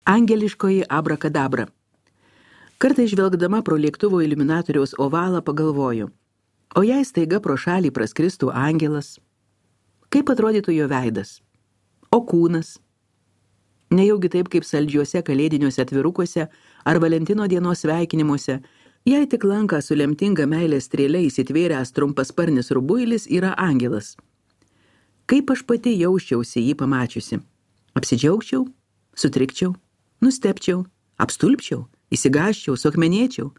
Angeliškoji abrakadabra. Kartais žvelgdama pro lėktuvo iliuminatoriaus ovalą pagalvoju, o jei staiga pro šalį praskristų angelas, kaip atrodytų jo veidas? O kūnas? Nejaugi taip kaip saldžiuose kalėdiniuose atvirukuose ar Valentino dienos sveikinimuose, jei tik lanką su lemtinga meilės strėle įsitvėręs trumpasparnis rubuilis yra angelas. Kaip aš pati jausčiausi jį pamačiusi? Apsidžiaugčiau, sutrikčiau, nustepčiau, apstulpčiau, įsigąsčiau, suakmenėčiau.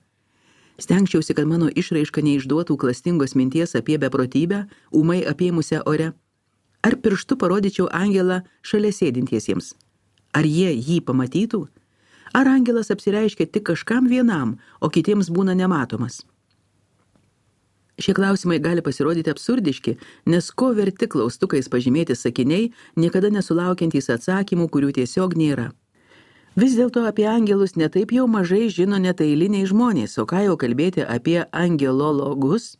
Stengčiausi, kad mano išraiška neišduotų klastingos minties apie beprotybę, ūmai apėmusią ore. Ar pirštu parodyčiau angelą šalia sėdintiesiems? Ar jie jį pamatytų? Ar angelas apsireiškia tik kažkam vienam, o kitiems būna nematomas? Šie klausimai gali pasirodyti absurdiški, nes ko verti klaustukais pažymėti sakiniai, niekada nesulaukiantys atsakymų, kurių tiesiog nėra. Vis dėlto apie angelus netaip jau mažai žino net eiliniai žmonės, o ką jau kalbėti apie angelologus?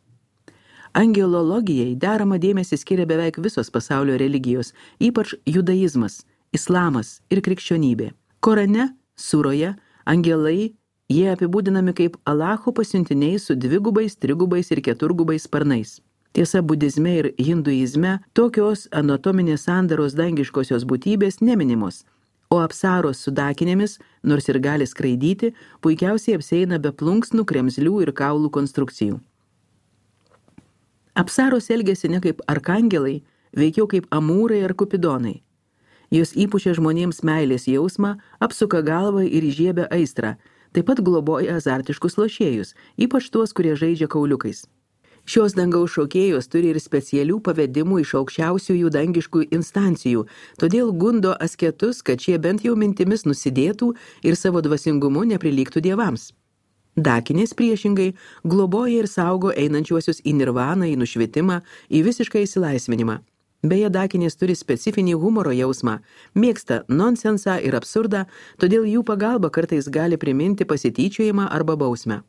Angelologijai deramą dėmesį skiria beveik visos pasaulio religijos, ypač judaizmas, islamas ir krikščionybė. Korane, suroje, angelai jie apibūdinami kaip Alacho pasiuntiniai su 2, 3 ir 4 sparnais. Tiesa, budizme ir hinduizme tokios anatominės sandaros dangiškosios būtybės neminimos, o apsaros su dakinėmis, nors ir gali skraidyti, puikiausiai apsieina be plunksnų, kremzlių ir kaulų konstrukcijų. Apsaros elgiasi ne kaip arkangelai, veikiau kaip amūrai ar kupidonai. Jos įpučia žmonėms meilės jausmą, apsuka galvą ir įžiebia aistrą, taip pat globoja azartiškus lošėjus, ypač tuos, kurie žaidžia kauliukais. Šios dangaus šokėjos turi ir specialių pavedimų iš aukščiausiųjų dangiškų instancijų, todėl gundo asketus, kad šie bent jau mintimis nusidėtų ir savo dvasingumu neprilygtų dievams. Dakinės priešingai globoja ir saugo einančiuosius į nirvaną, į nušvitimą, į visišką įsilaisvinimą. Beje, dakinės turi specifinį humoro jausmą, mėgsta nonsensą ir absurdą, todėl jų pagalba kartais gali priminti pasityčiojimą arba bausmę.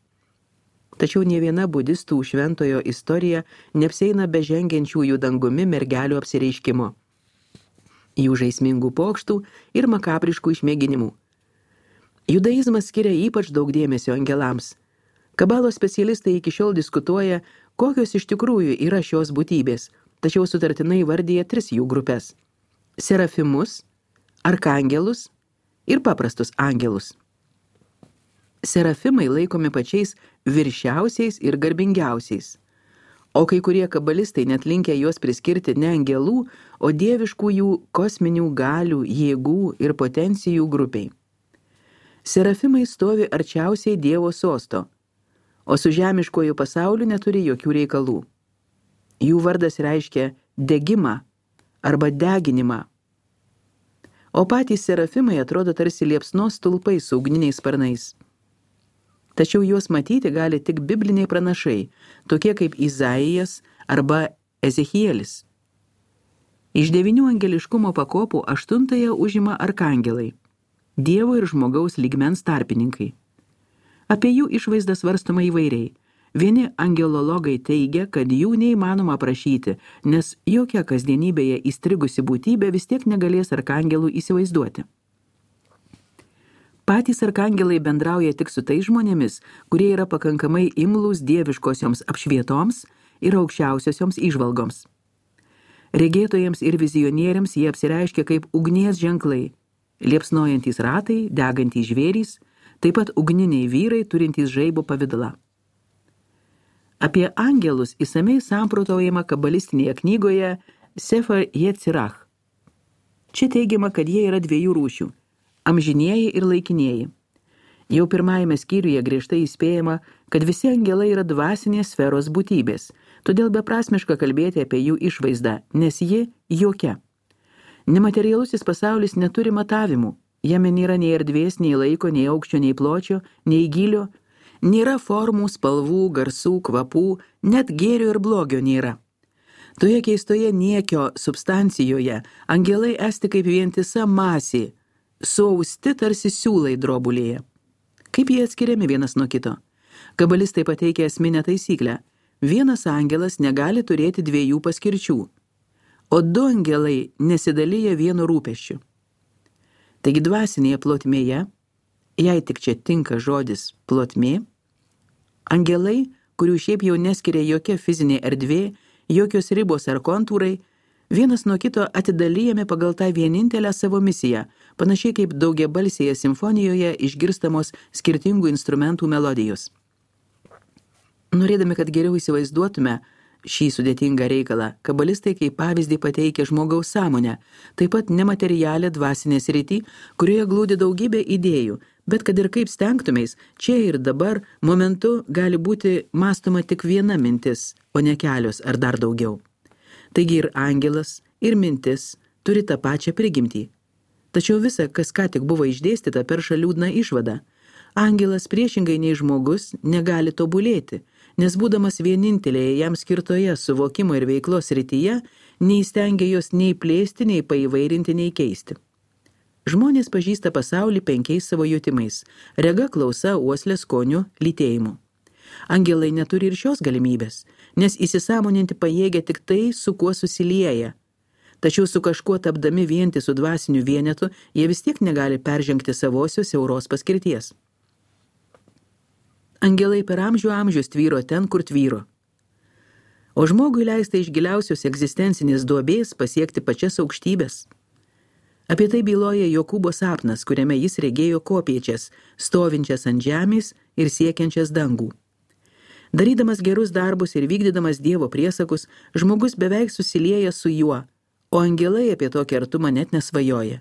Tačiau nė viena budistų šventojo istorija neapsieina be žengiančiųjų dangumi mergelių apsireiškimo, jų žaismingų pokštų ir makabriškų išmėginimų. Judaizmas skiria ypač daug dėmesio angelams. Kabalos specialistai iki šiol diskutuoja, kokios iš tikrųjų yra šios būtybės, tačiau sutartinai vardyja 3 jų grupės – serafimus, arkangelus ir paprastus angelus. Serafimai laikomi pačiais viršiausiais ir garbingiausiais, o kai kurie kabalistai net linkę juos priskirti ne angelų, o dieviškųjų kosminių galių, jėgų ir potencijų grupiai. Serafimai stovi arčiausiai Dievo sosto, o su žemiškuoju pasauliu neturi jokių reikalų. Jų vardas reiškia degimą arba deginimą. O patys serafimai atrodo tarsi liepsnos stulpai su ugniniais sparnais. Tačiau juos matyti gali tik bibliniai pranašai, tokie kaip Izaijas arba Ezechielis. Iš 9 angeliškumo pakopų 8 užima arkangelai, Dievo ir žmogaus lygmens tarpininkai. Apie jų išvaizdą svarstoma įvairiai. Vieni angelologai teigia, kad jų neįmanoma aprašyti, nes jokia kasdienybėje įstrigusi būtybė vis tiek negalės arkangelų įsivaizduoti. Patys arkangelai bendrauja tik su tais žmonėmis, kurie yra pakankamai imlūs dieviškosioms apšvietoms ir aukščiausiosioms įžvalgoms. Regėtojams ir vizionieriams jie apsireiškia kaip ugnies ženklai, liepsnojantys ratai, degantys žvėrys, taip pat ugniniai vyrai turintys žaibo pavidalą. Apie angelus įsamiai samprotaujama kabalistinėje knygoje Sefer Yetzirach. Čia teigiama, kad jie yra 2 rūšių – amžinieji ir laikinieji. Jau 1 skyriuje griežtai įspėjama, kad visi angelai yra dvasinės sferos būtybės, todėl beprasmiška kalbėti apie jų išvaizdą, nes ji jokia. Nematerialusis pasaulis neturi matavimų, jame nėra nei erdvės, nei laiko, nei aukščio, nei pločio, nei gylio, nėra formų, spalvų, garsų, kvapų, net gėrio ir blogio nėra. Toje keistoje niekio substancijoje angelai esti kaip vientisa masė, suausti tarsi siūlai drobulėje. Kaip jie atskiriami vienas nuo kito? Kabalistai pateikia esminę taisyklę. Vienas angelas negali turėti 2 paskirčių, o 2 angelai nesidalyja vienu rūpesčiu. Taigi dvasinėje plotmėje, jei tik čia tinka žodis plotmė, angelai, kurių šiaip jau neskiria jokia fizinė erdvė, jokios ribos ar kontūrai, vienas nuo kito atidalijami pagal tą vienintelę savo misiją, panašiai kaip daugiabalsėje simfonijoje išgirstamos skirtingų instrumentų melodijos. Norėdami, kad geriau įsivaizduotume šį sudėtingą reikalą, kabalistai kaip pavyzdį pateikia žmogaus sąmonę, taip pat nematerialią dvasinę sritį, kurioje glūdi daugybė idėjų, bet kad ir kaip stengtumės, čia ir dabar momentu gali būti mąstoma tik viena mintis, o ne kelios ar dar daugiau. Taigi ir angelas, ir mintis turi tą pačią prigimtį. Tačiau visa, kas ką tik buvo išdėstyta, perša liūdną išvadą. Angelas priešingai nei žmogus negali tobulėti, nes būdamas vienintelėje jam skirtoje suvokimo ir veiklos srityje, neįstengia jos nei plėsti, nei paįvairinti, nei keisti. Žmonės pažįsta pasaulį 5 savo jutimais – rega, klausa, uoslė, skoniu, lytėjimu. Angelai neturi ir šios galimybės, nes įsisąmoninti pajėgia tik tai, su kuo susilieja. Tačiau su kažkuo tapdami vientisų dvasinių vienetų, jie vis tiek negali peržengti savosios siauros paskirties. Angelai per amžius tvyro ten, kur tvyro. O žmogui leista iš giliausios egzistencinės duobės pasiekti pačias aukštybės. Apie tai byloja Jokūbo sapnas, kuriame jis regėjo kopiečias, stovinčias ant žemės ir siekiančias dangų. Darydamas gerus darbus ir vykdydamas Dievo priesakus, žmogus beveik susilieja su juo, o angelai apie tokį artumą net nesvajoja.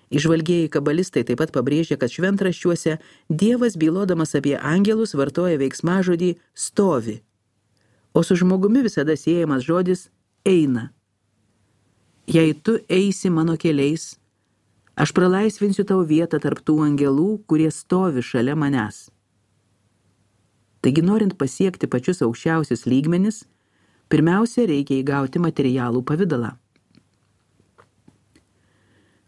Įžvalgieji kabalistai taip pat pabrėžia, kad šventraščiuose Dievas bylodamas apie angelus vartoja veiksmažodį stovi, o su žmogumi visada siejamas žodis eina. Jei tu eisi mano keliais, aš pralaisvinsiu tau vietą tarp tų angelų, kurie stovi šalia manęs. Taigi, norint pasiekti pačius aukščiausius lygmenis, pirmiausia reikia įgauti materialų pavidalą.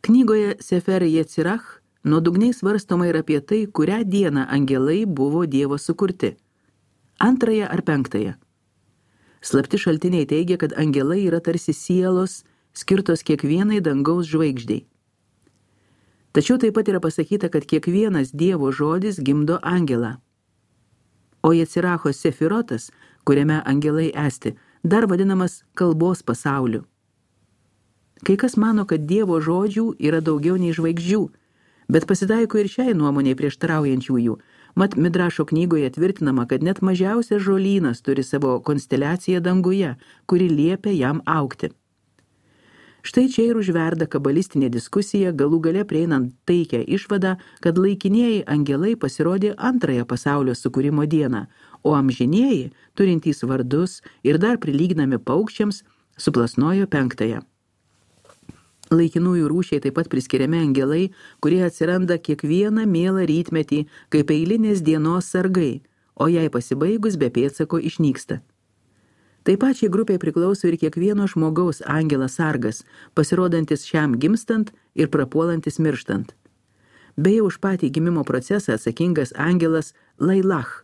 Knygoje Sefer Yetzirach nuodugniai svarstoma ir apie tai, kurią dieną angelai buvo Dievo sukurti – 2 ar 5. Slapti šaltiniai teigia, kad angelai yra tarsi sielos, skirtos kiekvienai dangaus žvaigždei. Tačiau taip pat yra pasakyta, kad kiekvienas Dievo žodis gimdo angelą. O Yetziracho sefirotas, kuriame angelai esti, dar vadinamas kalbos pasauliu. Kai kas mano, kad Dievo žodžių yra daugiau nei žvaigždžių, bet pasitaiko ir šiai nuomonei prieštaraujančiųjų. Mat Midrašo knygoje tvirtinama, kad net mažiausias žolynas turi savo konsteliaciją danguje, kuri liepia jam augti. Štai čia ir užverda kabalistinė diskusija, galų gale prieinant taikią išvadą, kad laikinieji angelai pasirodė 2 pasaulio sukūrimo dieną, o amžinieji, turintys vardus ir dar prilyginami paukščiams, suplasnojo 5. Laikinųjų rūšiai taip pat priskiriami angelai, kurie atsiranda kiekvieną mielą rytmetį, kaip eilinės dienos sargai, o jai pasibaigus be pėdsako išnyksta. Taip pačiai grupiai priklauso ir kiekvieno žmogaus angelas sargas, pasirodantis šiam gimstant ir prapuolantis mirštant. Beje, už patį gimimo procesą atsakingas angelas Lailach.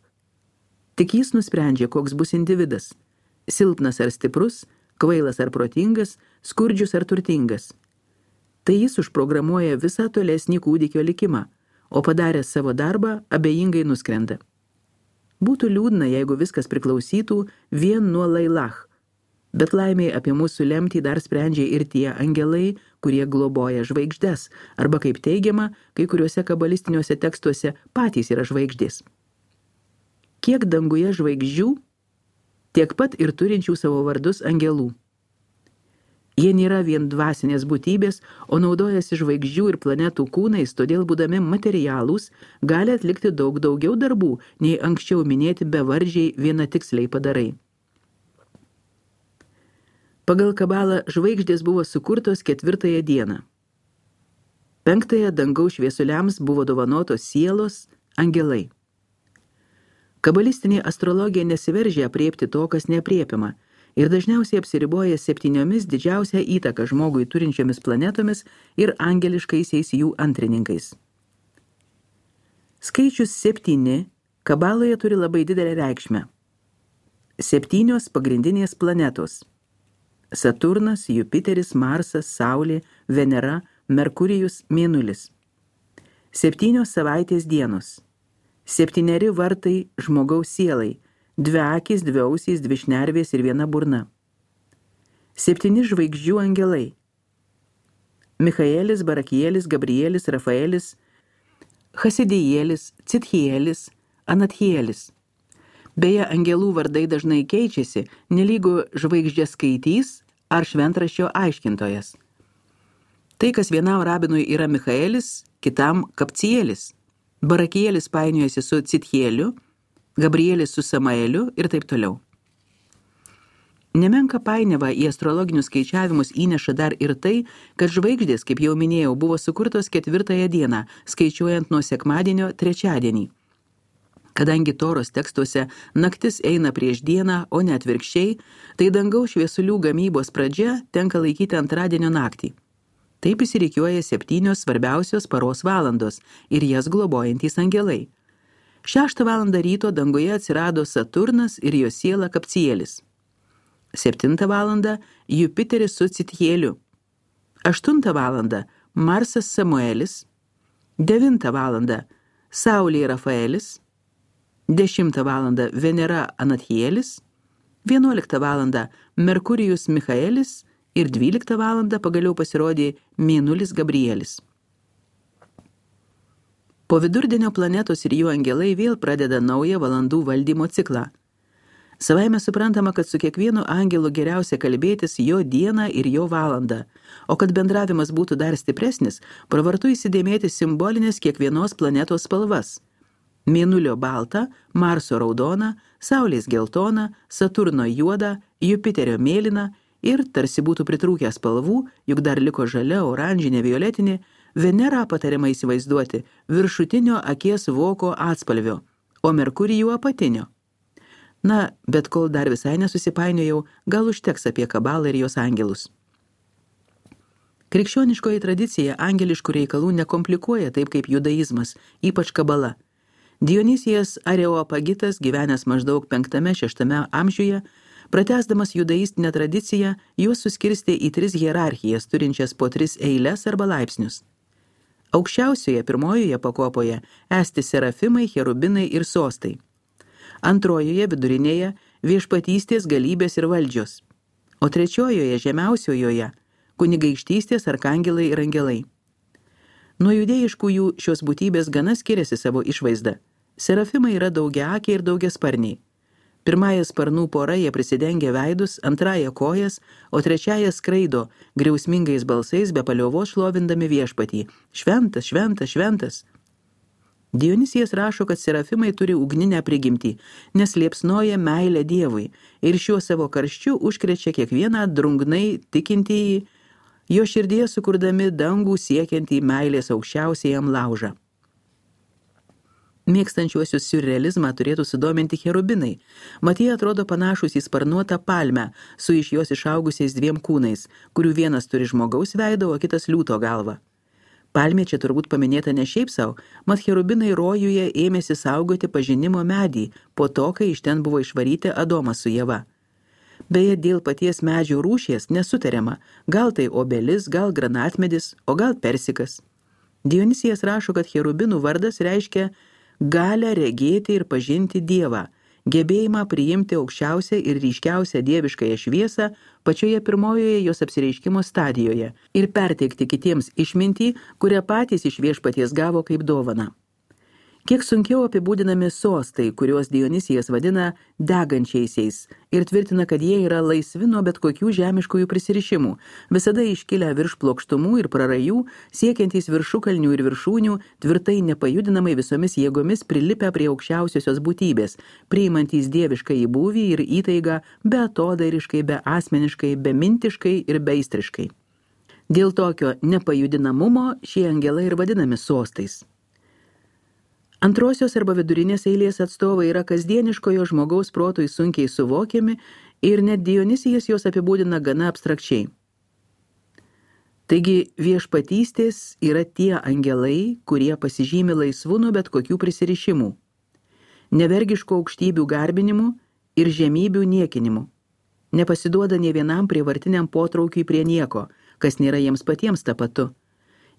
Tik jis nusprendžia, koks bus individas – silpnas ar stiprus, kvailas ar protingas, skurdžius ar turtingas. Tai jis užprogramuoja visą tolesnį kūdikio likimą, o padaręs savo darbą abejingai nuskrenda. Būtų liūdna, jeigu viskas priklausytų vien nuo Lailach, bet laimiai apie mūsų lemtį dar sprendžia ir tie angelai, kurie globoja žvaigždes, arba kaip teigiama, kai kuriuose kabalistiniuose tekstuose patys yra žvaigždės. Kiek danguje žvaigždžių, tiek pat ir turinčių savo vardus angelų. Jie nėra vien dvasinės būtybės, o naudojasi žvaigždžių ir planetų kūnais, todėl būdami materialūs, gali atlikti daug daugiau darbų, nei anksčiau minėti bevardžiai vienatiksliai padarai. Pagal kabalą žvaigždės buvo sukurtos 4 dieną. 5 dangaus šviesuliams buvo dovanotos sielos, angelai. Kabalistinė astrologija nesiveržia aprėpti to, kas neaprėpiama, ir dažniausiai apsiriboja 7 didžiausią įtaką žmogui turinčiomis planetomis ir angeliškaisiais jų antrininkais. Skaičius 7 kabaloje turi labai didelę reikšmę. 7 pagrindinės planetos – Saturnas, Jupiteris, Marsas, Saulė, Venera, Merkurijus, Mėnulis. 7 savaitės dienos, 7 vartai žmogaus sielai, 2 akys, 2 ausys, 2 šnervės ir 1 burna. 7 žvaigždžių angelai. Michaelis, Barakielis, Gabrielis, Rafaelis, Chasidijėlis, Citchielis, Anatchielis. Beje, angelų vardai dažnai keičiasi, nelygu žvaigždės skaitys ar šventraščio aiškintojas. Tai, kas vienam rabinui yra Michaelis, kitam Kapcielis. Barakielis painiojasi su Citchieliu, Gabrielis su Samaeliu ir taip toliau. Nemenka painiava į astrologinius skaičiavimus įneša dar ir tai, kad žvaigždės, kaip jau minėjau, buvo sukurtos 4 dieną, skaičiuojant nuo sekmadienio 3. Kadangi Toros tekstuose naktis eina prieš dieną, o ne atvirkščiai, tai dangaus šviesulių gamybos pradžia tenka laikyti antradienio naktį. Taip įsirikiuoja 7 svarbiausios paros valandos ir jas globojantys angelai. 6 valandą ryto danguje atsirado Saturnas ir jo siela Kapcielis. 7 valandą Jupiteris su Citchieliu. 8 valandą Marsas Samuelis. 9 valandą Saulė Rafaelis. 10 valandą Venera Anatchielis. 11 valandą Merkurijus Michaelis ir 12 valandą pagaliau pasirodė Mėnulis Gabrielis. Po vidurdienio planetos ir jų angelai vėl pradeda naują valandų valdymo ciklą. Savaime suprantama, kad su kiekvienu angelu geriausia kalbėtis jo dieną ir jo valandą, o kad bendravimas būtų dar stipresnis, pravartu įsidėmėti simbolinės kiekvienos planetos spalvas. Mėnulio baltą, Marso raudoną, Saulės geltoną, Saturno juodą, Jupiterio mėlyną ir tarsi būtų pritrūkę spalvų, juk dar liko žalia, oranžinė, violetinė, Venerą patariama įsivaizduoti viršutinio akies voko atspalvio, o Merkurijų apatinio. Na, bet kol dar visai nesusipainiojau, gal užteks apie kabalą ir jos angelus. Krikščioniškoji tradicija angeliškų reikalų nekomplikuoja taip kaip judaizmas, ypač kabala. Dionysijas Areopagitas, gyvenęs maždaug 5–6 amžiuje, pratęsdamas judaistinę tradiciją, juos suskirstė į 3 hierarchijas, turinčias po 3 eiles arba laipsnius. Aukščiausioje pirmojoje pakopoje esti serafimai, cherubinai ir sostai. Antrojoje vidurinėje viešpatystės, galybės ir valdžios, o trečiojoje žemiausiojoje kunigaikštystės, arkangelai ir angelai. Nuo judėjiškųjų šios būtybės gana skiriasi savo išvaizda. Serafimai yra daugiaakiai ir daugiasparniai. Pirmąją sparnų porą jie prisidengia veidus, antrąją kojas, o trečiąją skraido, griausmingais balsais be paliovos šlovindami viešpatį. Šventas, šventas, šventas. Dionysijas rašo, kad serafimai turi ugninę prigimtį, nes liepsnoja meilę Dievui ir šiuo savo karščiu užkrečia kiekvieną drungnai tikintįjį, jo širdyje sukurdami dangų siekiantį meilės aukščiausiajam laužą. Mėgstančiuosius siurrealizmą turėtų sudominti cherubinai. Mat jie atrodo panašus į sparnuotą palmę su iš jos išaugusiais 2 kūnais, kurių vienas turi žmogaus veidą, o kitas liūto galvą. Palmė čia turbūt paminėta ne šiaip sau, mat cherubinai rojuje ėmėsi saugoti pažinimo medį po to, kai iš ten buvo išvaryti Adomas su Ieva. Beje, dėl paties medžio rūšies nesutariama, gal tai obelis, gal granatmedis, o gal persikas. Dionysijas rašo, kad cherubinų vardas reiškia galią regėti ir pažinti Dievą, gebėjimą priimti aukščiausią ir ryškiausią dieviškąją šviesą pačioje pirmojoje jos apsireiškimo stadijoje ir perteikti kitiems išmintį, kurią patys iš viešpaties gavo kaip dovaną. Kiek sunkiau apibūdinami sostai, kuriuos Dionysijas vadina degančiaisiais ir tvirtina, kad jie yra laisvi nuo bet kokių žemiškųjų prisirišimų, visada iškilę virš plokštumų ir prarajų, siekiantys viršukalnių ir viršūnių, tvirtai nepajudinamai visomis jėgomis prilipę prie aukščiausiosios būtybės, priimantys dieviškai įbūvį ir įtaigą beatodairiškai, beasmeniškai, bemintiškai ir beistriškai. Dėl tokio nepajudinamumo šie angelai ir vadinami sostais. Antrosios arba vidurinės eilės atstovai yra kasdieniškojo žmogaus protui sunkiai suvokiami ir net Dionysijas juos apibūdina gana abstrakčiai. Taigi viešpatystės yra tie angelai, kurie pasižymi laisvu nuo bet kokių prisirišimų, nevergiško aukštybių garbinimu ir žemybių niekinimu, nepasiduoda nė vienam prievartiniam potraukiui prie nieko, kas nėra jiems patiems tapatu.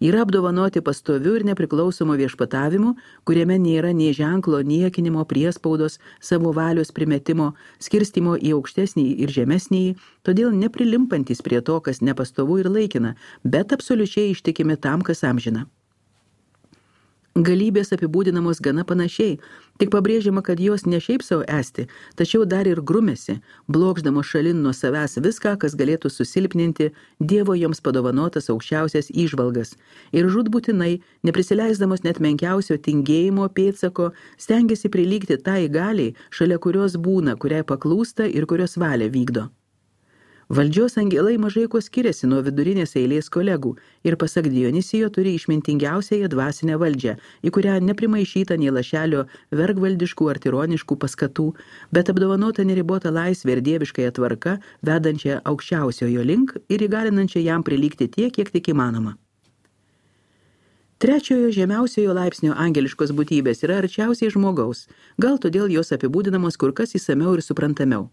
Yra apdovanoti pastoviu ir nepriklausomu viešpatavimu, kuriame nėra nei ženklo niekinimo, priespaudos, savo valios primetimo, skirstimo į aukštesnį ir žemesnį, todėl neprilimpantis prie to, kas nepastovu ir laikina, bet absoliučiai ištikimi tam, kas amžina. Galybės apibūdinamos gana panašiai, tik pabrėžiama, kad jos ne šiaip savo esti, tačiau dar ir grumėsi, blokšdamos šalin nuo savęs viską, kas galėtų susilpninti Dievo joms padovanotas aukščiausias įžvalgas, ir žūtbūtinai, neprisileisdamos net menkiausio tingėjimo pėdsako, stengiasi prilygti tai galiai, šalia kurios būna, kuriai paklūsta ir kurios valią vykdo. Valdžios angelai mažai kuo skiriasi nuo vidurinės eilės kolegų ir pasak Dionisijo turi išmintingiausiąją dvasinę valdžią, į kurią neprimaišyta nei lašelio vergvaldiškų ar tironiškų paskatų, bet apdovanota neribota laisvė ir dieviškąją tvarka, vedančią aukščiausiojo link ir įgalinančią jam prilygti tiek, kiek tik įmanoma. Trečiojo žemiausiojo laipsnio angeliškos būtybės yra arčiausiai žmogaus, gal todėl jos apibūdinamos kur kas įsamiau ir suprantamiau.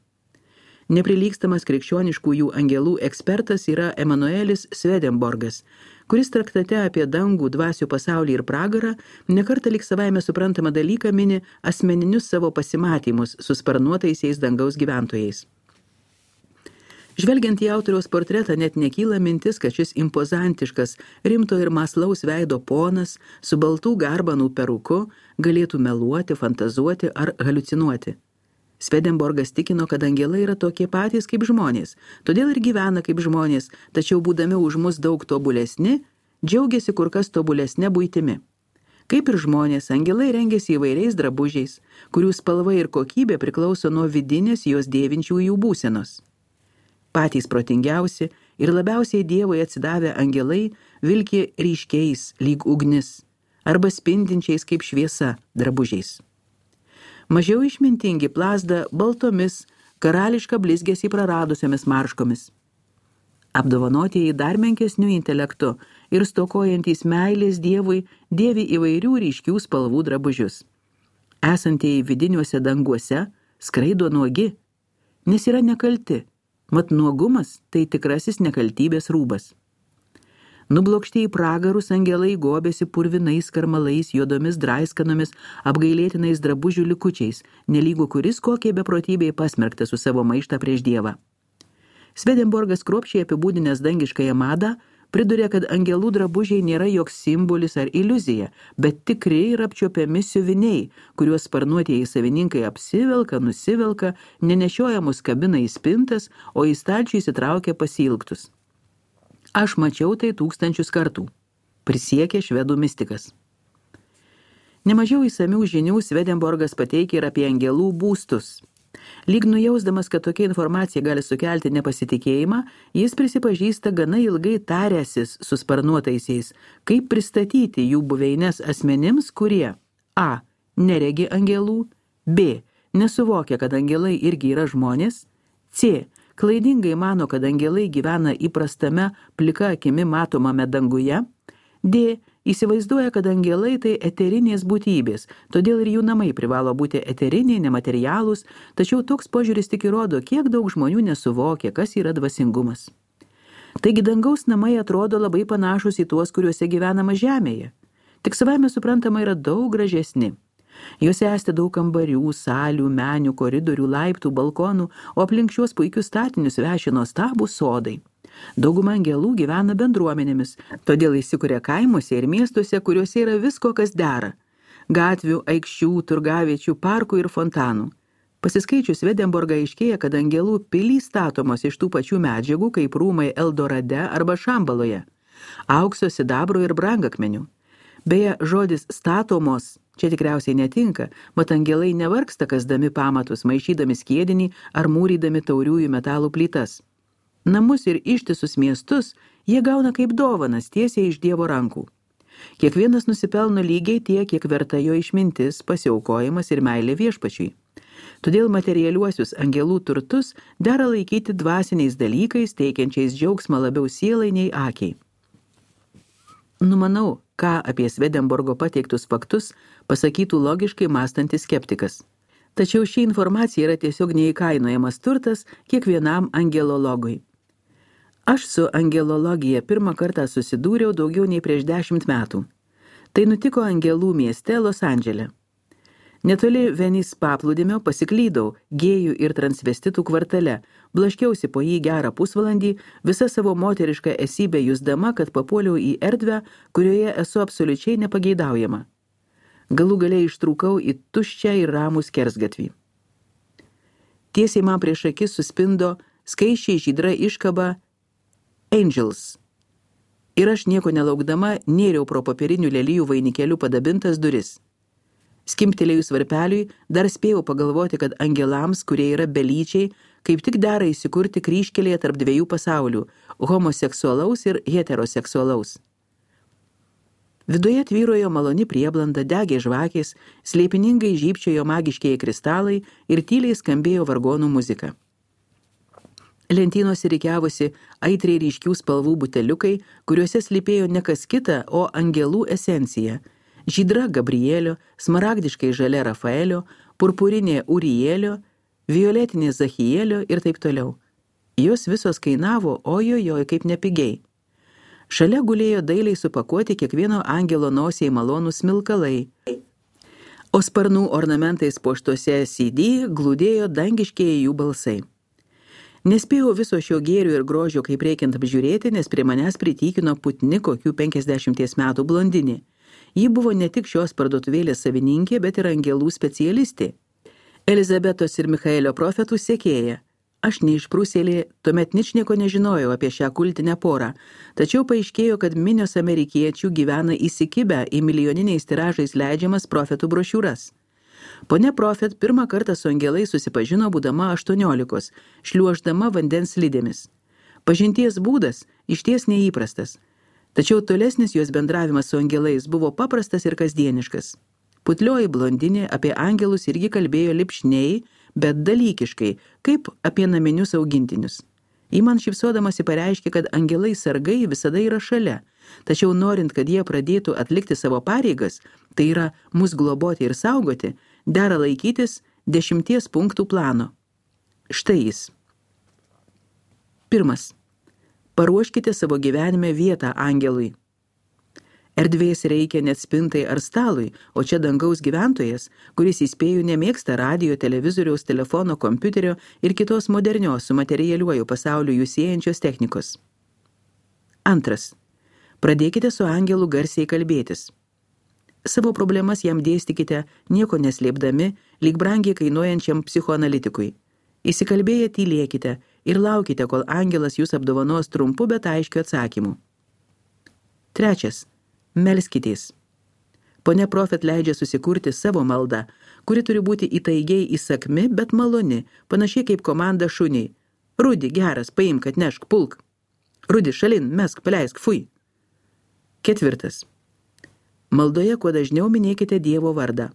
Neprilygstamas krikščioniškųjų angelų ekspertas yra Emanuelis Swedenborgas, kuris traktate apie dangų, dvasių pasaulį ir pragarą nekartą lyg savaime suprantamą dalyką mini asmeninius savo pasimatymus su sparnuotaisiais dangaus gyventojais. Žvelgiant į autoriaus portretą, net nekyla mintis, kad šis impozantiškas, rimto ir mąslaus veido ponas su baltų garbanų peruku galėtų meluoti, fantazuoti ar haliucinuoti. Swedenborgas tikino, kad angelai yra tokie patys kaip žmonės, todėl ir gyvena kaip žmonės, tačiau būdami už mus daug tobulesni, džiaugiasi kur kas tobulesne buitimi. Kaip ir žmonės, angelai rengiasi įvairiais drabužiais, kurių spalva ir kokybė priklauso nuo vidinės jos dėvinčiųjų būsenos. Patys protingiausi ir labiausiai Dievui atsidavę angelai vilki ryškiais lyg ugnis arba spindinčiais kaip šviesa drabužiais. Mažiau išmintingi plazda baltomis, karališką blizgesį praradusiomis marškomis. Apdovanotieji dar menkesnių intelektų ir stokojantys meilės Dievui dėvi įvairių ryškių spalvų drabužius. Esantieji vidiniuose danguose skraido nuogi, nes yra nekalti, mat nuogumas tai tikrasis nekaltybės rūbas. Nublokšti į pragarus angelai gobėsi purvinais karmalais, juodomis draiskanomis, apgailėtinais drabužių likučiais, nelygų kuris kokie beprotybei pasmerkta su savo maištą prieš Dievą. Swedenborgas kruopščiai apibūdinęs dangiškąją madą priduria, kad angelų drabužiai nėra joks simbolis ar iliuzija, bet tikri ir apčiuopiami siuviniai, kuriuos sparnuotieji savininkai apsivelka, nusivelka, nenešiojamus kabina į spintas, o į stalčių įsitraukia pasiilgtus. Aš mačiau tai 1000 kartų, prisiekė švedų mistikas. Nemažiau įsamių žinių Swedenborgas pateikia ir apie angelų būstus. Lyg nujausdamas, kad tokia informacija gali sukelti nepasitikėjimą, jis prisipažįsta gana ilgai taręsis su sparnuotaisiais, kaip pristatyti jų buveines asmenims, kurie a. neregi angelų, b. nesuvokia, kad angelai irgi yra žmonės, c. klaidingai mano, kad angelai gyvena įprastame plika akimi matomame danguje, d. įsivaizduoja, kad angelai tai eterinės būtybės, todėl ir jų namai privalo būti eteriniai, nematerialūs, tačiau toks požiūris tik įrodo, kiek daug žmonių nesuvokia, kas yra dvasingumas. Taigi dangaus namai atrodo labai panašus į tuos, kuriuose gyvenama žemėje, tik savaime suprantama yra daug gražesni. Juose esti daug kambarių, salių, menių, koridorių, laiptų, balkonų, o aplink šios puikius statinius veši nuostabūs sodai. Dauguma angelų gyvena bendruomenėmis, todėl įsikuria kaimuose ir miestuose, kuriuose yra visko, kas dera – gatvių, aikščių, turgaviečių, parkų ir fontanų. Pasiskaičius Swedenborgą aiškėja, kad angelų pilys statomos iš tų pačių medžiagų, kaip rūmai Eldorade arba Šambaloje – aukso, sidabro ir brangakmenių. Beje, žodis statomos čia tikriausiai netinka, mat angelai nevargsta kasdami pamatus, maišydami skiedinį ar mūrydami tauriųjų metalų plytas. Namus ir ištisus miestus jie gauna kaip dovanas tiesiai iš Dievo rankų. Kiekvienas nusipelno lygiai tiek, kiek verta jo išmintis, pasiaukojimas ir meilė viešpačiui. Todėl materialiuosius angelų turtus dera laikyti dvasiniais dalykais, teikiančiais džiaugsmą labiau sielai nei akiai. Numanau, ką apie Swedenborgo pateiktus faktus pasakytų logiškai mąstantis skeptikas. Tačiau ši informacija yra tiesiog neįkainojamas turtas kiekvienam angelologui. Aš su angelologija pirmą kartą susidūriau daugiau nei prieš 10 metų. Tai nutiko Angelų mieste Los Andžele. Netoli Venice paplūdimio pasiklydau gėjų ir transvestitų kvartale, blaškiausi po jį gerą pusvalandį, visa savo moterišką esybę jusdama, kad papuoliau į erdvę, kurioje esu absoliučiai nepageidaujama. Galų galiai ištrūkau į tuščią ir ramų skersgatvį. Tiesiai man prieš akis suspindo skaisčiai žydra iškaba Angels. Ir aš nieko nelaukdama nėriau pro popierinių lelijų vainikėlių padabintas duris. Skimptelėjus varpeliui, dar spėjau pagalvoti, kad angelams, kurie yra belyčiai, kaip tik dera įsikurti kryžkelėje tarp dviejų pasaulių – homoseksualaus ir heteroseksualaus. Viduje tvyrojo maloni prieblanda, degė žvakės, slėpiningai žybčiojo magiškieji kristalai ir tyliai skambėjo vargonų muzika. Lentynose rikiavosi aitriai ryškių spalvų buteliukai, kuriuose slypėjo ne kas kita, o angelų esencija – žydra Gabrielio, smaragdiškai žalia Rafaelio, purpurinė Urielio, violetinė Zachielio ir taip toliau. Jos visos kainavo, ojojoj, kaip nepigiai. Šalia gulėjo dailiai supakuoti kiekvieno angelo nosiai malonūs smilkalai, o sparnų ornamentais puoštuose CD glūdėjo dangiškieji jų balsai. Nespėjau viso šio gėrio ir grožio kaip reikiant apžiūrėti, nes prie manęs pritykino putni kokių 50 metų blondinė. Ji buvo ne tik šios parduotuvėlės savininkė, bet ir angelų specialistė. Elizabetos ir Michaelio profetų sekėja. Aš neišprūsėlė, tuomet ničnieko nežinojau apie šią kultinę porą, tačiau paaiškėjo, kad minios amerikiečių gyvena įsikibę į milijoniniais tiražais leidžiamas profetų brošiūras. Ponia Profet pirmą kartą su angelais susipažino būdama 18, šliuoždama vandens slidėmis. Pažinties būdas išties neįprastas. Tačiau tolesnis jos bendravimas su angelais buvo paprastas ir kasdieniškas. Putlioji blondinė apie angelus irgi kalbėjo lipšniai, bet dalykiškai, kaip apie naminius augintinius. Ji man šypsodamasi pareiškė, kad angelai sargai visada yra šalia, tačiau norint, kad jie pradėtų atlikti savo pareigas, tai yra mus globoti ir saugoti, dera laikytis 10 punktų plano. Štai jis. 1. Paruoškite savo gyvenime vietą angelui. Erdvės reikia net spintai ar stalui, o čia dangaus gyventojas, kuris įspėjų nemėgsta radijo, televizoriaus, telefono, kompiuterio ir kitos modernios su materialiuoju pasauliu jų siejančios technikos. 2. Pradėkite su angelu garsiai kalbėtis. Savo problemas jam dėstykite, nieko neslėpdami, lyg brangiai kainuojančiam psichoanalitikui. Įsikalbėję tylėkite ir laukite, kol angelas jūs apdovanos trumpu, bet aiškiu atsakymu. 3. Melskitės. Ponia Profet leidžia susikurti savo maldą, kuri turi būti įtaigiai įsakmi, bet maloni, panašiai kaip komanda šuniai. Rudi, geras, paimk, atnešk, pulk. Rudi, šalin, mesk, paleisk, fui. 4. Maldoje kuo dažniau minėkite Dievo vardą.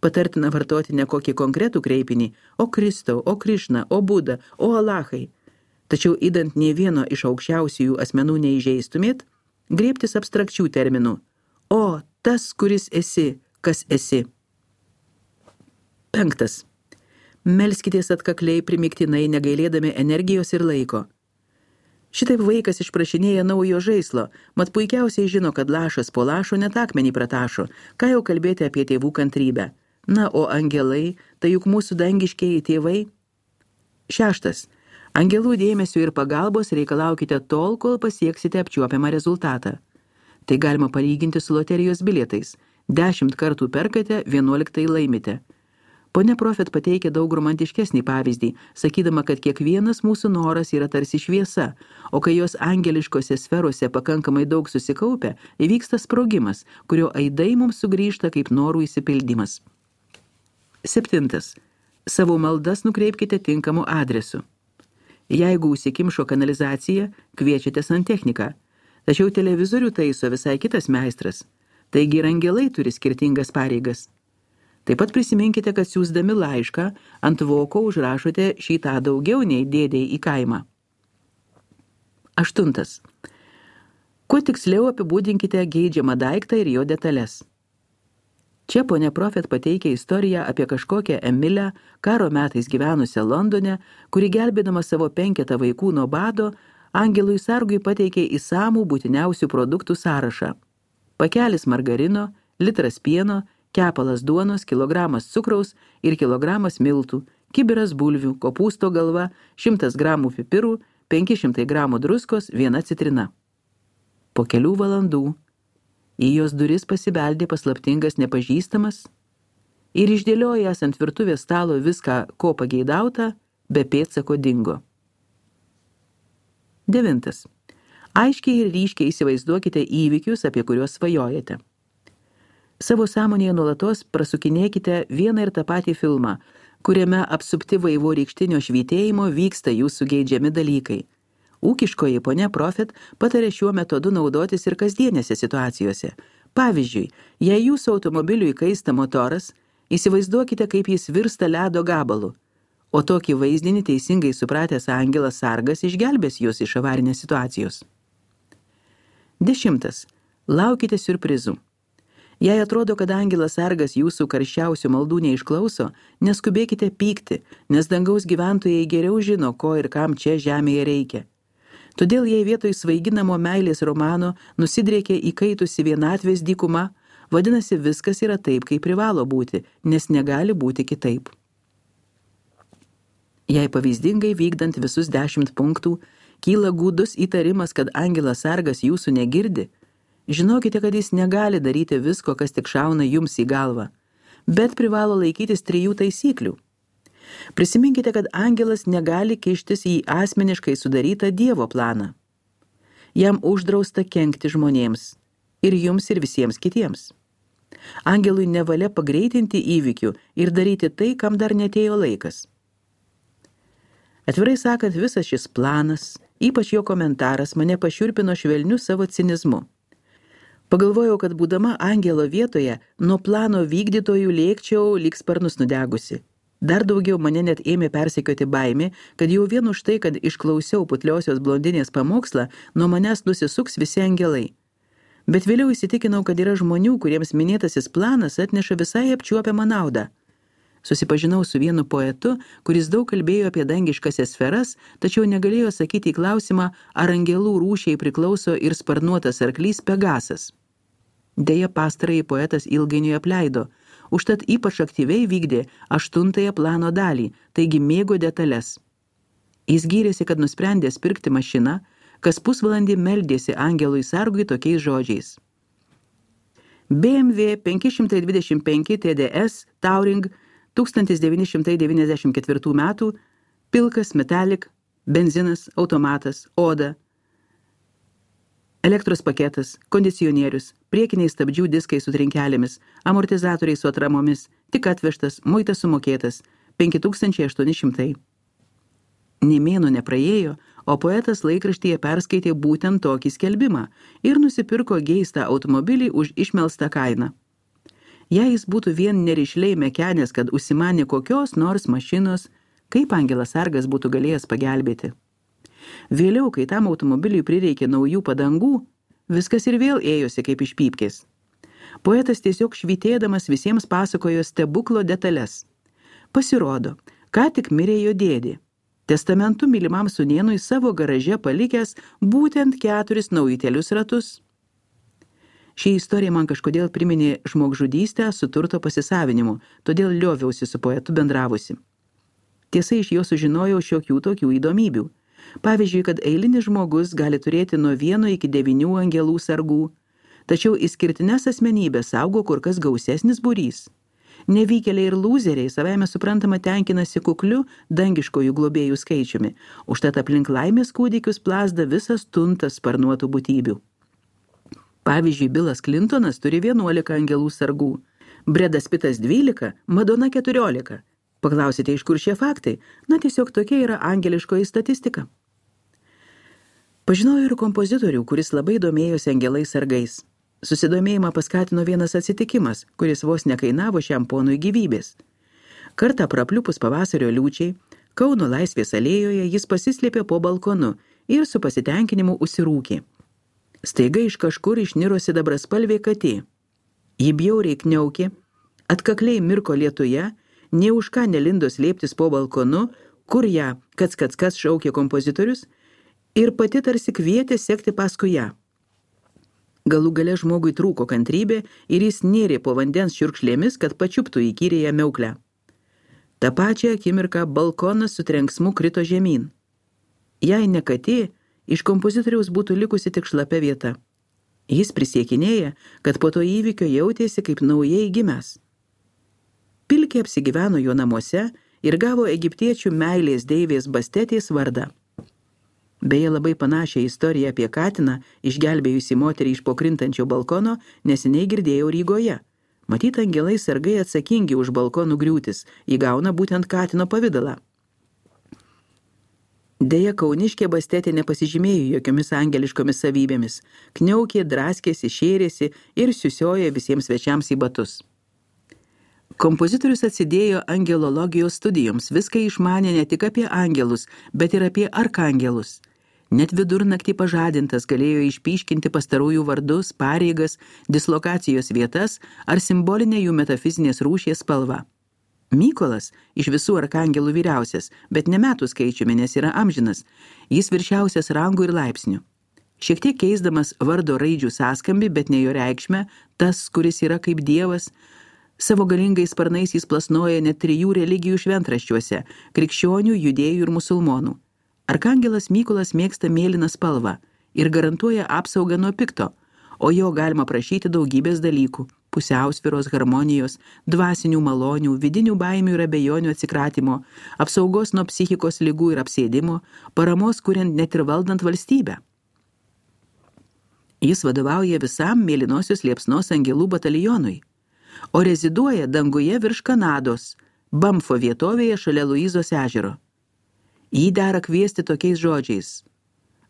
Patartina vartoti ne kokį konkretų kreipinį, o Kristau, o Krišna, o Buda, o Alachai. Tačiau įdant nė vieno iš aukščiausiųjų asmenų neįžeistumėt, griebtis abstrakčių terminų. O, tas, kuris esi, kas esi. 5. Melskitės atkakliai primiktinai, negailėdami energijos ir laiko. Šitaip vaikas išprašinėja naujo žaislo, mat puikiausiai žino, kad lašas po lašo net akmenį pratašo, ką jau kalbėti apie tėvų kantrybę. Na, o angelai, tai juk mūsų dangiškieji tėvai. 6. Angelų dėmesio ir pagalbos reikalaukite tol, kol pasieksite apčiuopiamą rezultatą. Tai galima palyginti su loterijos bilietais. 10 kartų perkate, 11 laimite. Ponia Profet pateikė daug romantiškesnį pavyzdį, sakydama, kad kiekvienas mūsų noras yra tarsi šviesa, o kai jos angeliškose sferose pakankamai daug susikaupia, įvyksta sprogimas, kurio aidai mums sugrįžta kaip norų išsipildymas. 7. Savo maldas nukreipkite tinkamu adresu. Jeigu užsikimšo kanalizacija, kviečiate santechniką, tačiau televizorių taiso visai kitas meistras, taigi ir angelai turi skirtingas pareigas. Taip pat prisiminkite, kad siųsdami laišką ant voko užrašote šitą daugiau nei dėdei į kaimą. 8. Kuo tiksliau apibūdinkite geidžiamą daiktą ir jo detalės. Čia ponia Profet pateikia istoriją apie kažkokią Emilę, karo metais gyvenusią Londone, kuri gelbėdama savo 5 vaikų nuo bado, angelui sargui pateikė įsamų būtiniausių produktų sąrašą. Pakelis margarino, litras pieno, kepalas duonos, kilogramas cukraus ir kilogramas miltų, kibiras bulvių, kopūsto galva, 100 gramų pipirų, 500 gramų druskos, 1 citrina. Po kelių valandų į jos duris pasibeldė paslaptingas nepažįstamas ir išdėliojęs ant virtuvės stalo viską, ko pageidauta, be pėdsako dingo. 9. Aiškiai ir ryškiai įsivaizduokite įvykius, apie kuriuos svajojate. Savo sąmonėje nuolatos prasukinėkite vieną ir tą patį filmą, kuriame apsupti vaivorykštinio švytėjimo vyksta jūsų geidžiami dalykai. Ūkiškoji ponia Profit patarė šiuo metodu naudotis ir kasdienėse situacijose. Pavyzdžiui, jei jūsų automobiliui kaista motoras, įsivaizduokite, kaip jis virsta ledo gabalu, o tokį vaizdinį teisingai supratęs angelas sargas išgelbės jūs iš avarinės situacijos. 10. Laukite siurprizų. Jei atrodo, kad angelas sargas jūsų karščiausių maldų neišklauso, neskubėkite pykti, nes dangaus gyventojai geriau žino, ko ir kam čia žemėje reikia. Todėl jei vietoj svaiginamo meilės romano nusidriekia įkaitusi vienatvės dykuma, vadinasi viskas yra taip, kaip privalo būti, nes negali būti kitaip. Jei pavyzdingai vykdant visus 10 punktų, kyla gūdus įtarimas, kad angelas sargas jūsų negirdi, žinokite, kad jis negali daryti visko, kas tik šauna jums į galvą, bet privalo laikytis 3 taisyklių. Prisiminkite, kad angelas negali kištis į asmeniškai sudarytą Dievo planą. Jam uždrausta kenkti žmonėms, ir jums, ir visiems kitiems. Angelui nevalia pagreitinti įvykių ir daryti tai, kam dar netėjo laikas. Atvirai sakant, visas šis planas, ypač jo komentaras, mane pašiurpino švelniu savo cinizmu. Pagalvojau, kad būdama angelo vietoje, nuo plano vykdytojų lėkčiau lyg sparnus nudegusi. Dar daugiau mane net ėmė persekioti baimė, kad jau vien už tai, kad išklausiau putliosios blondinės pamokslą, nuo manęs nusisuks visi angelai. Bet vėliau įsitikinau, kad yra žmonių, kuriems minėtasis planas atneša visai apčiuopiamą naudą. Susipažinau su vienu poetu, kuris daug kalbėjo apie dangiškasias sferas, tačiau negalėjo sakyti į klausimą, ar angelų rūšiai priklauso ir sparnuotas arklys Pegasas. Deja, pastarąjį poetas ilgainiui apleido, užtat ypač aktyviai vykdė 8 plano dalį, taigi mėgo detalės. Jis gyrėsi, kad nusprendęs pirkti mašiną, kas pusvalandį meldėsi angelui sargui tokiais žodžiais. BMW 525 TDS Touring 1994 metų, pilkas metalik, benzinas, automatas, oda, elektros paketas, kondicionierius, priekiniai stabdžių diskai su trinkelėmis, amortizatoriai su atramomis, tik atvežtas, muitas sumokėtas, 5800. Nė mėnuo nepraėjo, o poetas laikraštyje perskaitė būtent tokį skelbimą ir nusipirko geistą automobilį už išmelstą kainą. Jei jis būtų vien nerišliai mekenęs, kad užsimanė kokios nors mašinos, kaip angelas sargas būtų galėjęs pagelbėti. Vėliau, kai tam automobiliui prireikė naujų padangų, viskas ir vėl ėjosi kaip iš pypkės. Poetas tiesiog švytėdamas visiems pasakojo stebuklo detalės. Pasirodo, ką tik mirė jo dėdė. Testamentu mylimam sūnėnui savo garaže palikęs būtent 4 naujutėlius ratus. Ši istorija man kažkodėl priminė žmogžudystę su turto pasisavinimu, todėl lioviausi su poetu bendravusi. Tiesa, iš jo sužinojau šiokių tokių įdomybių. Pavyzdžiui, kad eilinis žmogus gali turėti nuo 1 iki 9 angelų sargų, tačiau išskirtines asmenybės saugo kur kas gausesnis būrys. Nevykėliai ir lūzeriai savaime suprantama tenkinasi kukliu dangiškojų globėjų skaičiumi, užtat aplink laimės kūdikius plazda visas tuntas sparnuotų būtybių. Pavyzdžiui, Bilas Clintonas turi 11 angelų sargų, Bredas Pitas 12, Madona 14. Paklausite, iš kur šie faktai? Na, tiesiog tokia yra angeliškoji statistika. Pažinojau ir kompozitorių, kuris labai domėjosi angelais sargais. Susidomėjimą paskatino vienas atsitikimas, kuris vos nekainavo šiam ponui gyvybės. Kartą prapliupus pavasario liūčiai, Kauno Laisvės alėjoje jis pasislėpė po balkonu ir su pasitenkinimu užsirūkė. Staiga iš kažkur išniro sidabraspalvė katė. Ji bjauriai kniaukė, atkakliai mirko lietuje, nė už ką nelindo slėptis po balkonu, kur ją kas šaukė kompozitorius, ir pati tarsi kvietė sekti paskui ją. Galų gale žmogui trūko kantrybė ir jis nėrė po vandens šiurkšlėmis, kad pačiuptų įkyrėją miauklę. Ta pačią akimirką balkonas su trenksmu krito žemyn. Jei ne katė, iš kompozitoriaus būtų likusi tik šlapia vieta. Jis prisiekinėja, kad po to įvykio jautėsi kaip naujai gimęs. Pilkė apsigyveno jo namuose ir gavo egiptiečių meilės deivės Bastetės vardą. Beje, labai panašią istoriją apie katiną, išgelbėjusi moterį iš pokrintančio balkono, neseniai girdėjau Rygoje. Matyt, angelai sargai atsakingi už balkonų griūtis, įgauna būtent katino pavidalą. Deja, kauniškė Bastetė nepasižymėjo jokiomis angeliškomis savybėmis, kniaukė, draskėsi, šėrėsi ir siusiojo visiems svečiams į batus. Kompozitorius atsidėjo angelologijos studijoms, viską išmanė ne tik apie angelus, bet ir apie arkangelus. Net vidurnaktį pažadintas galėjo išpyškinti pastarųjų vardus, pareigas, dislokacijos vietas ar simbolinę jų metafizinės rūšies spalvą. Mykolas iš visų arkangelų vyriausias, bet ne metų skaičiumi, nes yra amžinas, jis viršiausias rangų ir laipsnių. Šiek tiek keisdamas vardo raidžių sąskambį, bet ne jo reikšmę, tas, kuris yra kaip dievas, savo galingais sparnais jis plasnoja net 3 religijų šventraščiuose – krikščionių, judėjų ir musulmonų. Arkangelas Mykolas mėgsta mėlyną spalvą ir garantuoja apsaugą nuo pikto, o jo galima prašyti daugybės dalykų – pusiausvyros, harmonijos, dvasinių malonių, vidinių baimių ir abejonių atsikratymo, apsaugos nuo psichikos ligų ir apsėdimo, paramos kuriant net ir valdant valstybę. Jis vadovauja visam mėlynosios liepsnos angelų batalionui, o reziduoja danguje virš Kanados, Bamfo vietovėje šalia Luizos ežero. Jį dera kviesti tokiais žodžiais: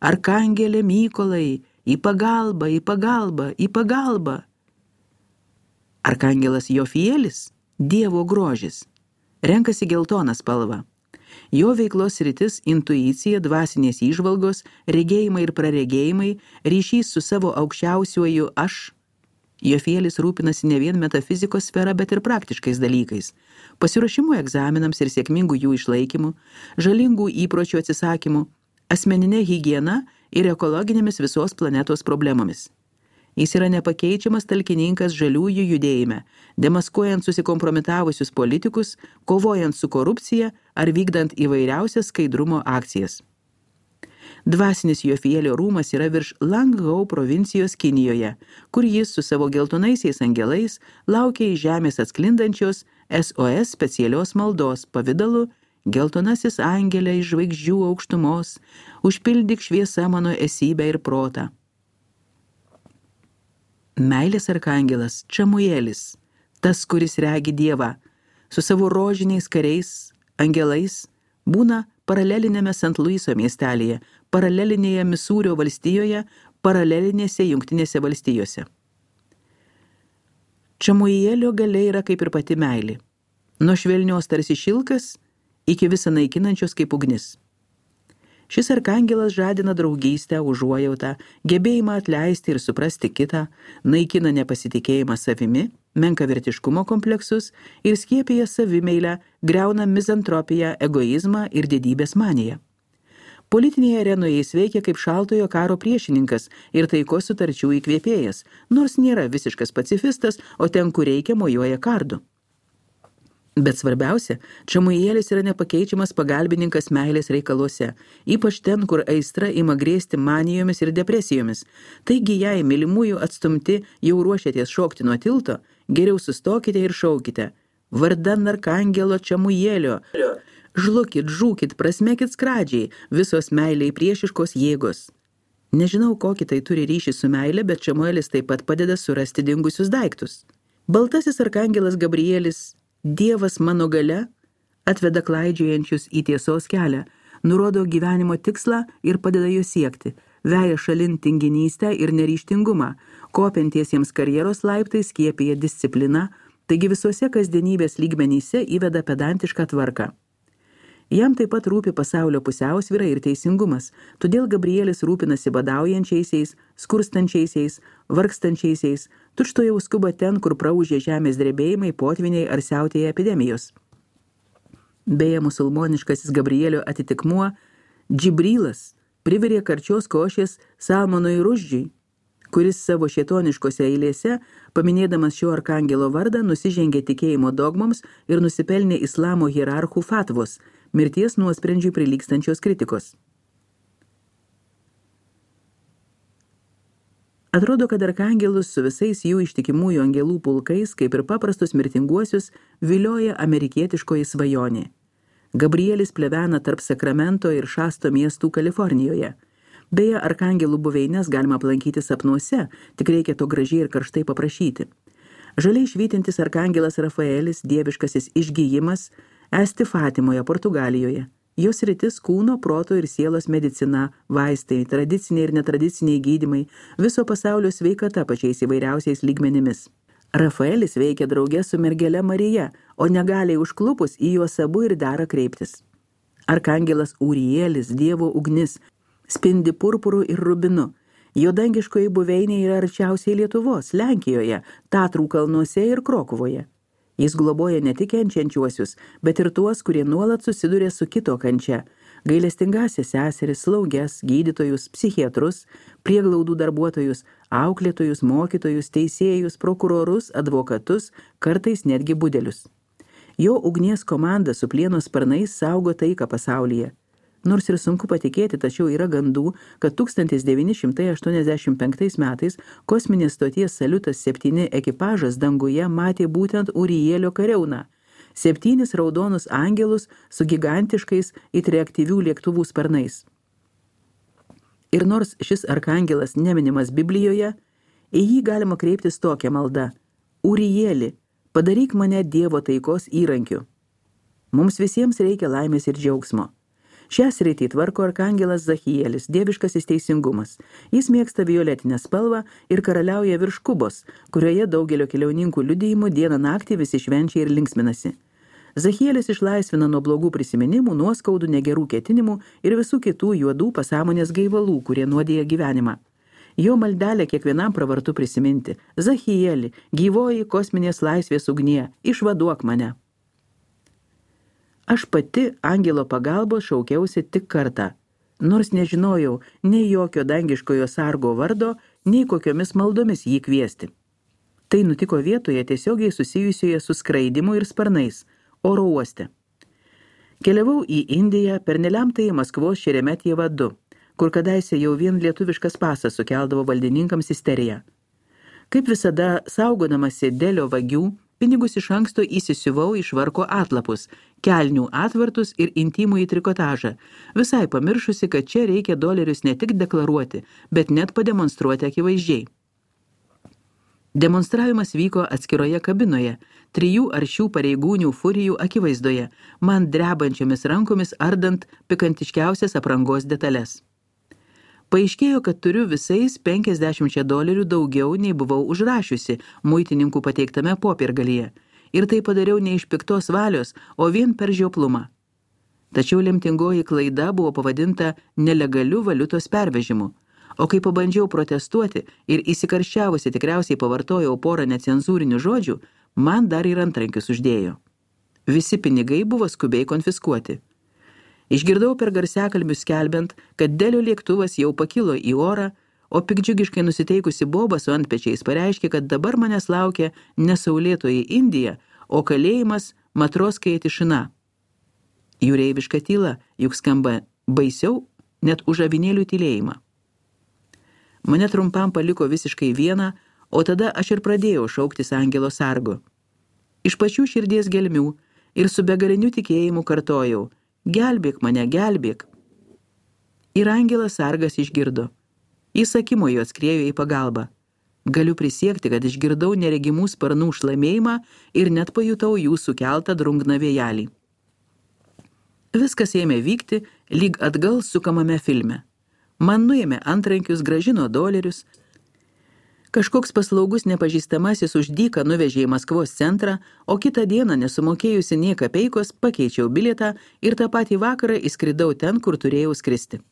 Arkangelė Mykolai, į pagalbą, į pagalbą, į pagalbą. Arkangelas Jofielis, Dievo grožis, renkasi geltoną spalvą. Jo veiklos sritis – intuicija, dvasinės įžvalgos, regėjimai ir praregėjimai, ryšys su savo aukščiausiuoju aš. Jofielis rūpinasi ne vien metafizikos sfera, bet ir praktiškais dalykais – pasiruošimu egzaminams ir sėkmingų jų išlaikymu, žalingų įpročių atsisakymu, asmeninė higiena ir ekologinėmis visos planetos problemomis. Jis yra nepakeičiamas talkininkas žaliųjų judėjime, demaskuojant susikompromitavusius politikus, kovojant su korupcija ar vykdant įvairiausias skaidrumo akcijas. Dvasinis Jofielio rūmas yra virš Langhau provincijos Kinijoje, kur jis su savo geltonaisiais angelais laukia iš žemės atsklindančios SOS specialios maldos pavidalu: geltonasis angelė iš žvaigždžių aukštumos, užpildyk šviesa mano esybę ir protą. Meilės arkangelas Čamuelis, tas, kuris regi Dievą, su savo rožiniais kariais, angelais, būna paralelinėme St. Luiso miestelėje, paralelinėje Misūrio valstijoje, paralelinėse Jungtinėse valstijose. Čamuielio galia yra kaip ir pati meilė, nuo švelnios tarsi šilkas iki visą naikinančios kaip ugnis. Šis arkangelas žadina draugystę, užuojautą, gebėjimą atleisti ir suprasti kitą, naikina nepasitikėjimą savimi, menkavertiškumo kompleksus ir skiepija savimeilę, griauna mizantropiją, egoizmą ir didybės maniją. Politinėje arenoje jis veikia kaip šaltojo karo priešininkas ir taikos sutarčių įkvėpėjas, nors nėra visiškas pacifistas, o ten, kur reikia, mojuoja kardu. Bet svarbiausia, Čamuielis yra nepakeičiamas pagalbininkas meilės reikaluose, ypač ten, kur aistra ima grėsti manijomis ir depresijomis. Taigi, jei mylimųjų atstumti jau ruošiatės šokti nuo tilto, geriau sustokite ir šaukite: vardan arkangelo Čamuielio, žlukit, žūkit, prasmekit skradžiai, visos meiliai priešiškos jėgos. Nežinau, kokį tai turi ryšį su meilė, bet Čamuelis taip pat padeda surasti dingusius daiktus. Baltasis arkangelas Gabrielis, Dievas mano galia, atveda klaidžiojančius į tiesos kelią, nurodo gyvenimo tikslą ir padeda jo siekti, veja šalin tinginystę ir neryžtingumą, kopiantiesiems karjeros laiptais skiepija discipliną, taigi visuose kasdienybės lygmenyse įveda pedantišką tvarką. Jam taip pat rūpi pasaulio pusiausvyra ir teisingumas, todėl Gabrielis rūpinasi badaujančiaisiais, skurstančiaisiais, vargstančiaisiais, tučtuojau skuba ten, kur praūžė žemės drebėjimai, potviniai ar siautėja epidemijos. Beje, musulmoniškasis Gabrielio atitikmuo Džibrilas, privirė karčios košės Salmonui Ruždžiui, kuris savo šėtoniškose eilėse, paminėdamas šio arkangelo vardą, nusižengė tikėjimo dogmoms ir nusipelnė islamo hierarchų fatvos, mirties nuosprendžiui prilygstančios kritikos. Atrodo, kad arkangelus su visais jų ištikimųjų angelų pulkais, kaip ir paprastus mirtinguosius, vilioja amerikietiškoji svajonė. Gabrielis plevena tarp Sakramento ir Šasto miestų Kalifornijoje. Beje, arkangelų buveines galima aplankyti sapnuose, tik reikia to gražiai ir karštai paprašyti. Žaliai švytintis arkangelas Rafaelis, dieviškasis išgijimas, esti Fatimoje, Portugalijoje. Jos sritis kūno, proto ir sielos medicina, vaistai, tradiciniai ir netradiciniai gydymai, viso pasaulio sveikata pačiais įvairiausiais lygmenimis. Rafaelis veikia drauge su mergele Marija, o negaliai užklupus į juos abu ir dera kreiptis. Arkangelas Ūrielis, Dievo ugnis, spindi purpuru ir rubinu. Jo dangiškoji buveinė yra arčiausiai Lietuvos, Lenkijoje, Tatrų kalnuose ir Krokuvoje. Jis globoja ne tik kenčiančiuosius, bet ir tuos, kurie nuolat susiduria su kito kančia. Gailestingąsias seseris, slauges, gydytojus, psichiatrus, prieglaudų darbuotojus, auklėtojus, mokytojus, teisėjus, prokurorus, advokatus, kartais netgi budelius. Jo ugnies komanda su plieno sparnais saugo taiką pasaulyje. Nors ir sunku patikėti, tačiau yra gandų, kad 1985 metais kosminės stoties Salutas 7 ekipažas danguje matė būtent Ūrielio kariauną, 7 raudonus angelus su gigantiškais it reaktyvių lėktuvų sparnais. Ir nors šis arkangelas neminimas Biblijoje, į jį galima kreiptis tokią maldą: Ūrieli, padaryk mane Dievo taikos įrankiu. Mums visiems reikia laimės ir džiaugsmo. Šią sritį tvarko arkangelas Zachielis, dieviškasis teisingumas. Jis mėgsta violetinę spalvą ir karaliauja virš Kubos, kurioje daugelio keliauninkų liudijimų dieną naktį visi švenčia ir linksminasi. Zachielis išlaisvina nuo blogų prisiminimų, nuoskaudų, negerų ketinimų ir visų kitų juodų pasąmonės gaivalų, kurie nuodija gyvenimą. Jo maldelė kiekvienam pravartu prisiminti: Zachieli, gyvoji kosminės laisvės ugnie, išvaduok mane. Aš pati angelo pagalbos šaukiausi tik kartą, nors nežinojau nei jokio dangiškojo sargo vardo, nei kokiomis maldomis jį kviesti. Tai nutiko vietoje tiesiogiai susijusioje su skraidimu ir sparnais, oro uoste. Keliavau į Indiją per nelemtąjį Maskvos Šeremetjevą 2, kur kadaise jau vien lietuviškas pasas sukeldavo valdininkams isteriją. Kaip visada, saugodamasi Delio vagių, pinigus iš anksto įsisiuvau į švarko atlapus, kelnių atvartus ir intimųjį trikotažą, visai pamiršusi, kad čia reikia dolerius ne tik deklaruoti, bet net pademonstruoti akivaizdžiai. Demonstravimas vyko atskiroje kabinoje, 3 aršių pareigūnių furijų akivaizdoje, man drebančiomis rankomis ardant pikantiškiausias aprangos detalės. Paaiškėjo, kad turiu visais $50 daugiau, nei buvau užrašiusi muitininkų pateiktame popiergalyje. Ir tai padariau ne iš piktos valios, o vien per žioplumą. Tačiau lemtingoji klaida buvo pavadinta nelegaliu valiutos pervežimu. O kai pabandžiau protestuoti ir įsikarščiavusi tikriausiai pavartojau porą necenzūrinių žodžių, man dar ir antrankius uždėjo. Visi pinigai buvo skubiai konfiskuoti. Išgirdau per garsiakalbius skelbiant, kad Delio lėktuvas jau pakilo į orą, o pikdžiugiškai nusiteikusi boba su antpečiais pareiškė, kad dabar manęs laukia nesaulėtoji Indija, o kalėjimas Matroskaja Tišina. Jūreiviška tyla juk skamba baisiau net už avinėlių tylėjimą. Mane trumpam paliko visiškai vieną, o tada aš ir pradėjau šauktis angelo sargo. Iš pačių širdies gelmių ir su begaliniu tikėjimu kartojau: gelbėk mane, gelbėk. Ir angelas sargas išgirdo. Jis akimojo atskriejo į pagalbą. Galiu prisiekti, kad išgirdau neregimų sparnų šlamėjimą ir net pajutau jų sukeltą drungną vėjelį. Viskas ėmė vykti lyg atgal sukamame filme. Man nuėmė antrankius, grąžino dolerius. Kažkoks paslaugus nepažįstamasis už dyką nuvežė į Maskvos centrą, o kitą dieną nesumokėjusi nė kapeikos pakeičiau bilietą ir tą patį vakarą įskridau ten, kur turėjau skristi.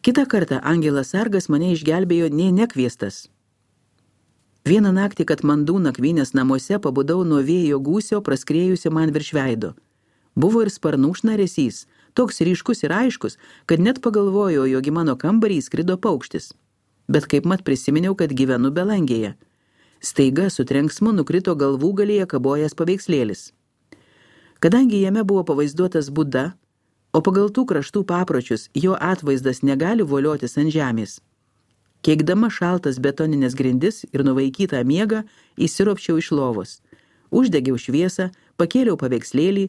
Kitą kartą angelas sargas mane išgelbėjo nė nekviestas. Vieną naktį Katmandų nakvynės namuose pabudau nuo vėjo gūsio praskrėjusio man virš veido. Buvo ir sparnų šnaresys, toks ryškus ir aiškus, kad net pagalvojau, jog į mano kambarį įskrido paukštis. Bet kaip mat prisiminiau, kad gyvenu belangėje. Staiga su trenksmu nukrito galvų galyje kabojęs paveikslėlis. Kadangi jame buvo pavaizduotas Buda, o pagal tų kraštų papročius jo atvaizdas negali voliotis ant žemės, keikdama šaltas betoninės grindis ir nuvaikytą miegą, įsiropščiau iš lovos. Uždegiau šviesą, pakėliau paveikslėlį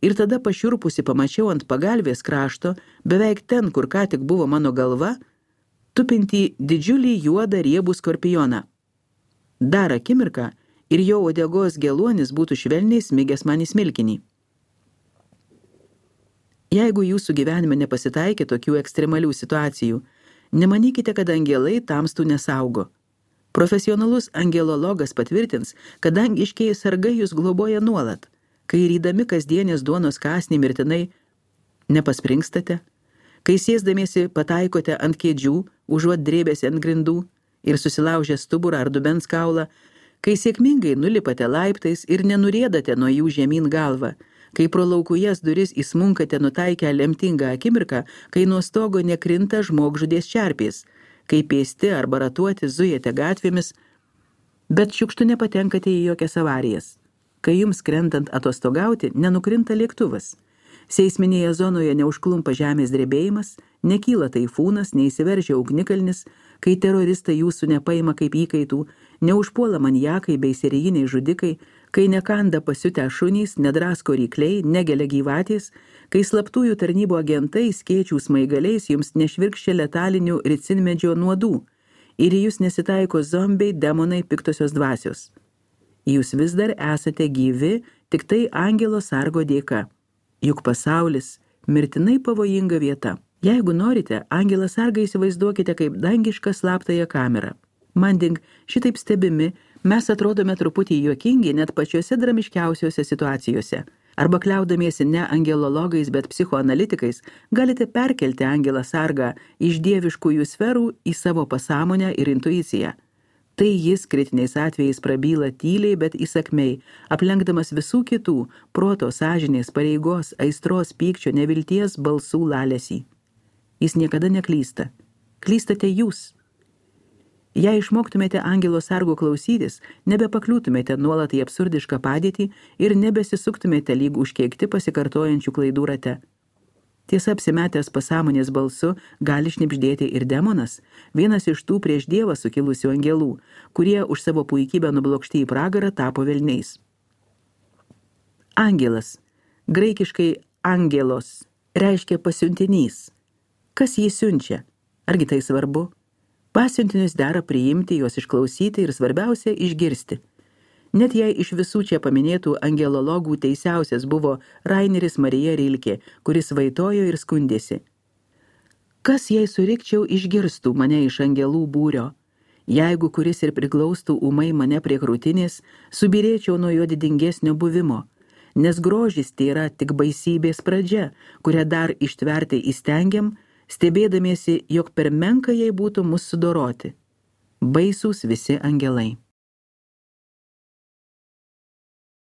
ir tada pašiurpusi pamačiau ant pagalvės krašto, beveik ten, kur ką tik buvo mano galva, tupintį didžiulį juodą riebų skorpioną. Dar akimirką ir jo uodegos geluonis būtų švelniai smigęs man į smilkinį. Jeigu jūsų gyvenime nepasitaikė tokių ekstremalių situacijų, nemanykite, kad angelai tamstų nesaugo. Profesionalus angelologas patvirtins, kad dangiškieji sargai jūs globoja nuolat, kai rydami kasdienės duonos kąsnį mirtinai nepaspringstate, kai sėsdamiesi pataikote ant kėdžių, užuot drėbėsi ant grindų ir susilaužę stuburą ar dubens kaulą, kai sėkmingai nulipate laiptais ir nenurėdate nuo jų žemyn galvą, kai pro laukujas duris įsmunkate nutaikę lemtingą akimirką, kai nuo stogo nekrinta žmogžudės čerpės, kai pėsti arba ratuoti zujate gatvėmis, bet šiukštu nepatenkate į jokias avarijas, kai jums krentant atostogauti nenukrinta lėktuvas, seisminėje zonoje neužklumpa žemės drebėjimas, nekyla taifūnas, neįsiveržia ugnikalnis, kai teroristai jūsų nepaima kaip įkaitų, neužpuola maniakai bei serijiniai žudikai, kai nekanda pasiutę šunys, nedrasko rykliai, negelia gyvatės, kai slaptųjų tarnybų agentai skėčių smaigaliais jums nešvirkščia letalinių ricinmedžio nuodų ir į jūs nesitaiko zombiai, demonai, piktosios dvasios. Jūs vis dar esate gyvi, tik tai angelo sargo dėka. Juk pasaulis mirtinai pavojinga vieta. Jeigu norite, angelą sargą įsivaizduokite kaip dangišką slaptąją kamerą. Manding, šitaip stebimi, mes atrodome truputį juokingi net pačiose dramiškiausiose situacijose. Arba kliaudamiesi ne angelologais, bet psichoanalitikais, galite perkelti angelą sargą iš dieviškųjų sferų į savo pasąmonę ir intuiciją. Tai jis kritiniais atvejais prabyla tyliai, bet įsakmiai, aplenkdamas visų kitų proto, sąžinės, pareigos, aistros, pykčio, nevilties balsų lalesį. Jis niekada neklysta. Klystate jūs. Jei išmoktumėte angelo sargo klausytis, nebepakliūtumėte nuolat į absurdišką padėtį ir nebesisuktumėte lyg užkeikti pasikartojančių klaidų rate. Tiesa, apsimetęs pasąmonės balsu gali šnibždėti ir demonas, vienas iš tų prieš Dievą sukilusių angelų, kurie už savo puikybę nublokšti į pragarą tapo velniais. Angelas, graikiškai angelos, reiškia pasiuntinys. Kas jį siunčia? Argi tai svarbu? Pasiuntinius dera priimti, juos išklausyti ir svarbiausia išgirsti. Net jei iš visų čia paminėtų angelologų teisiausias buvo Raineris Marija Rilkė, kuris vaitojo ir skundėsi. Kas jei surikčiau išgirstų mane iš angelų būrio? Jeigu kuris ir priglaustų ūmai mane prie krūtinės, subirėčiau nuo jo didingesnio buvimo, nes grožis tai yra tik baisybės pradžia, kurią dar ištverti įstengiam, stebėdamiesi, jog per menka jai būtų mus sudoroti. Baisūs visi angelai.